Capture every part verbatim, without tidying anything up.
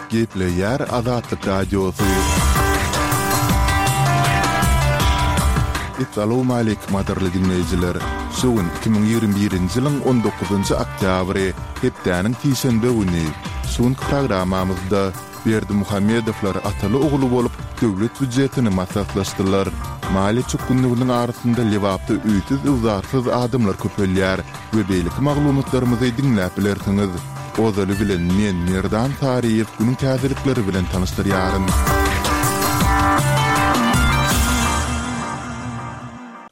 Gepleýär Azatlyk Radiosy. Essalawmaleýkim gadyrly diňleýjiler! Şu gün iki müň ýigrimi birinji ýylyň on dokuzynjy oktýabry, hepdäniň sişenbe güni. Şu günki programmamyzda Berdimuhamedowlar ataly-ogul bolup, döwlet býujetini maslahatlaşdylar. Maliýe çökgünliginiň arasynda Lebapda öýsüz-öwzarsyz adamlar köpelýär we beýleki maglumatlarymyzy diňläp bilersiňiz. Ozaly bilen men, Merdan Saryýew günüň täzelikleri bilen tanyşdyrýaryn.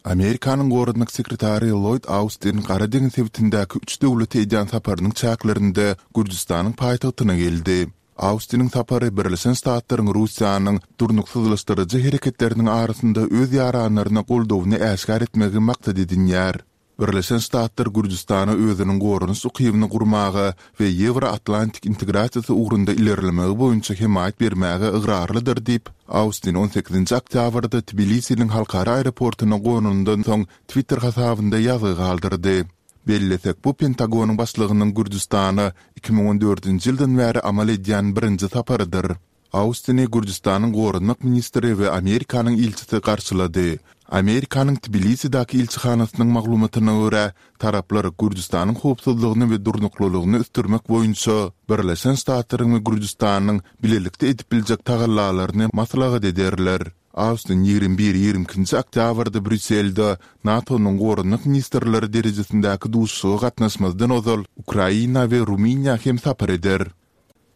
Amerikanyň Goranmak sekretary Lloýd Austin Gara deňiz sebitindäki üç döwlete edýän saparynyň çäklerinde Gürjüstanyň paýtagtyna geldi. Austiniň sapary Birleşen Ştatlaryň Russiýanyň durnuksyzlaşdyryjy hereketleriniň arasynda öz ýaranlaryna goldawyny äşgär etmegi maksat edinýär. Birleşen Ştatlar Gürjüstana özüniň goranyş ukybyny gurmaga we Ýewro-Atlantik integrasiýasy ugrunda ilerlemegi boýunça hemaýat bermäge ygrarlydyr diýip, Austin on sekizinji oktýabrda Tbilisiniň halkara aeroportuna gonanyndan soň Twitter hasabynda ýazgy galdyrdy. Bellesek, bu Pentagonyň başlygynyň Gürjüstana iki müň on dördünji ýyldan bäri amal edýän birinji saparydyr. Austini Gürjüstanyň goranmak ministri we Amerikanyň ilçisi garşylady. Amerikanyň Tbilisidäki ilçihanasynyň maglumatyna görä, taraplar Gürjüstanyň howpsuzlygyny we durnuklylygyny ösdürmek boýunça Birleşen Ştatlaryň we Gürjüstanyň bilelikde edip biljek tagallalaryny maslahat ederler. Austin ýigrimi bir, ýigrimi ikinji oktýabrda Brýusselde NATO-nyň goranmak ministrleri derejesindäki duşuşyga gatnaşmazdan ozal Ukraina we Rumyniýa hem sapar eder.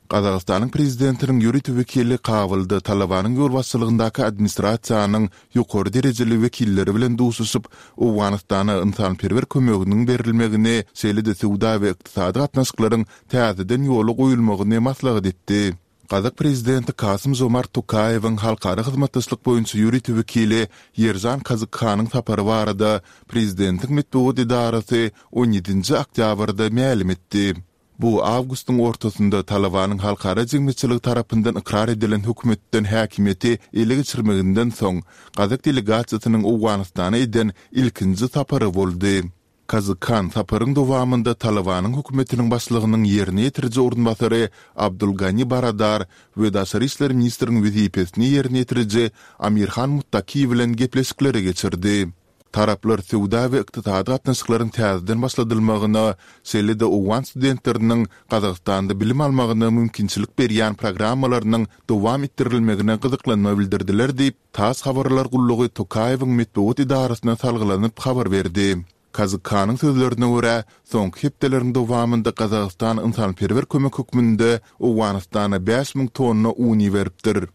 Gazagystanyň prezidentiniň ýörite wekili Kabulda Talabanyň ýolbaşçylygyndaky administrasiýanyň ýokary derejeli wekilleri bilen duşuşyp, Owganystana ynsanperwer kömeginiň berilmegini, şeýle-de söwda we ykdysady gatnaşyklaryň täzeden ýola goýulmagyny maslahat etdi. Gazak prezidenti Kasym-Žomart Tokaýewiň halkara hyzmatdaşlyk boýunça ýörite wekili Ýeržan Kazykhanyň sapary barada prezidentiň metbugat edarasy on ýedinji oktýabrda mälim etdi. Bu awgustyň ortasynda Talabanyň halkara jemgyýetçiligi tarapyndan ykrar edilen hökümetden häkimiýeti ele geçirmeginden soň, gazak delegasiýasynyň Owganystana eden ilkinji sapary boldy. Kazykhan saparyň dowamynda Talabanyň hökümetiniň başlygynyň ýerine ýetiriji orunbasary Abdul Gani Baradar we daşary işler ministriniň wezipesini ýerine ýetiriji Amir Han Muttaki bilen gepleşikleri geçirdi. Taraplar söwda we ykdysady gatnaşyklaryň täzeden başladylmagyna, şeýle-de owgan studentleriniň Gazagystanda bilim almagyna mümkinçilik berýän programmalarynyň dowam etdirilmegine gyzyklanma bildirdiler diýip, tass habarlar gullugy Tokaýewiň metbugat edarasyna salgylanyp habar berdi. Kazykhanyň sözlerine görä, soňky hepdeleriň dowamynda Gazagystan ynsanperwer kömek hökmünde Owganystana bäş müň tonna un iberipdir.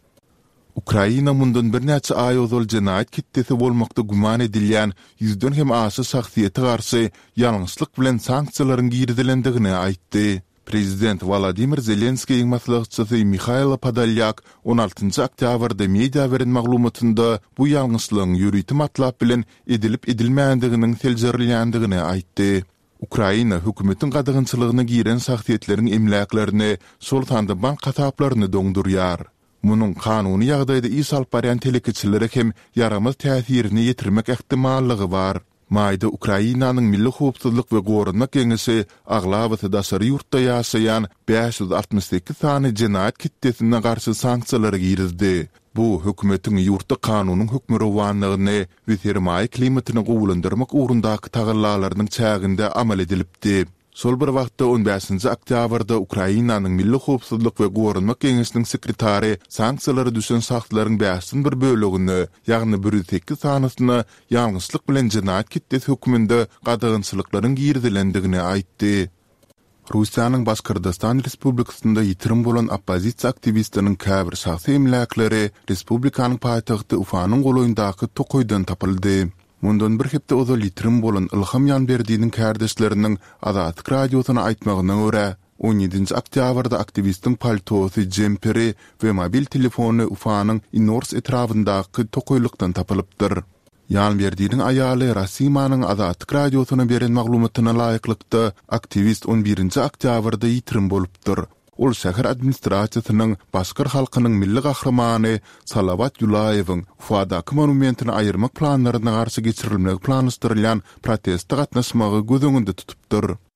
Ukraina mundan birnäçe aý ozal jenaýat ketdesi bolmakda güman edilýän ýüzden hem aşa şahsyýete garşy ýalňyşlyk bilen sanksiýalaryň girizilendigini aýtdy. Prezident Wolodymyr Zelenskiýiň maslahatçysy Mihailo Podolýak on altynjy oktýabrda media beren maglumatynda bu ýalňyşlygyň ýörite matlap bilen edilip-edilmändiginiň seljerilýändigini aýtdy. Ukraina hökümetiň gadagançylygyna giren şahsyýetleriň emläklerini, şol sanda bank hasaplaryny doňdurýar. Munuň kanuny ýagdaýda iş alyp barýan telekeçilere hem ýaramaz täsirini ýetirmek ähtimallygy bar. Maýda Ukrainanyň Milli howpsuzlyk we goranmak geňeşi aglabasy daşary ýurtda ýaşaýan bäş ýüz altmyş sekiz sany jenaýat ketdesine garşy sanksiýalary girizdi. Bu, hökümetiň ýurtda kanunyň hökmürowanlygyny we sermaýa klimatyny gowulandyrmak ugrundaky tagallalarynyň çäginde amal edilipdi. Şol bir wagtda, on bäşinji oktýabrda Ukrainanyň Milli howpsuzlyk we goranmak geňeşiniň sekretary sanksiýalara düşen şahslaryň bäşden bir bölegine, ýagny bir ýüz sekiz sanysyna ýalňyşlyk bilen jenaýat ketdesi hökmünde gadagançylyklaryň girizilendigini aýtdy. Russiýanyň Başkyrdystan Respublikasynda ýitirim bolan oppozisiýa aktiwistiniň käbir şahsy emläkleri respublikanyň paýtagty Ufanyň golaýyndaky tokaýdan tapyldy. Mundan bir hepde ozal ýitirim bolan Ylham Ýanberdiniň kärdeşleriniň Azatlyk Radiosyna aýtmagyna görä, on ýedinji oktýabrda aktiwistiň paltosy, jemperi we mobil telefony Ufanyň Inors etrabyndaky tokaýlykdan tapylypdyr. Ýanberdiniň aýaly Rasimanyň Azatlyk Radiosyna beren maglumatyna laýyklykda, aktiwist on birinji oktýabrda ýitirim bolupdyr. Ol şäher administrasiýasynyň başkyr halkynyň milli gahrymany Salawat Ýulaýewiň Ufadaky monumentini aýyrmak planlaryna garşy geçirilmegi planlaşdyrylýan proteste gatnaşmagy göz öňünde tutupdyr.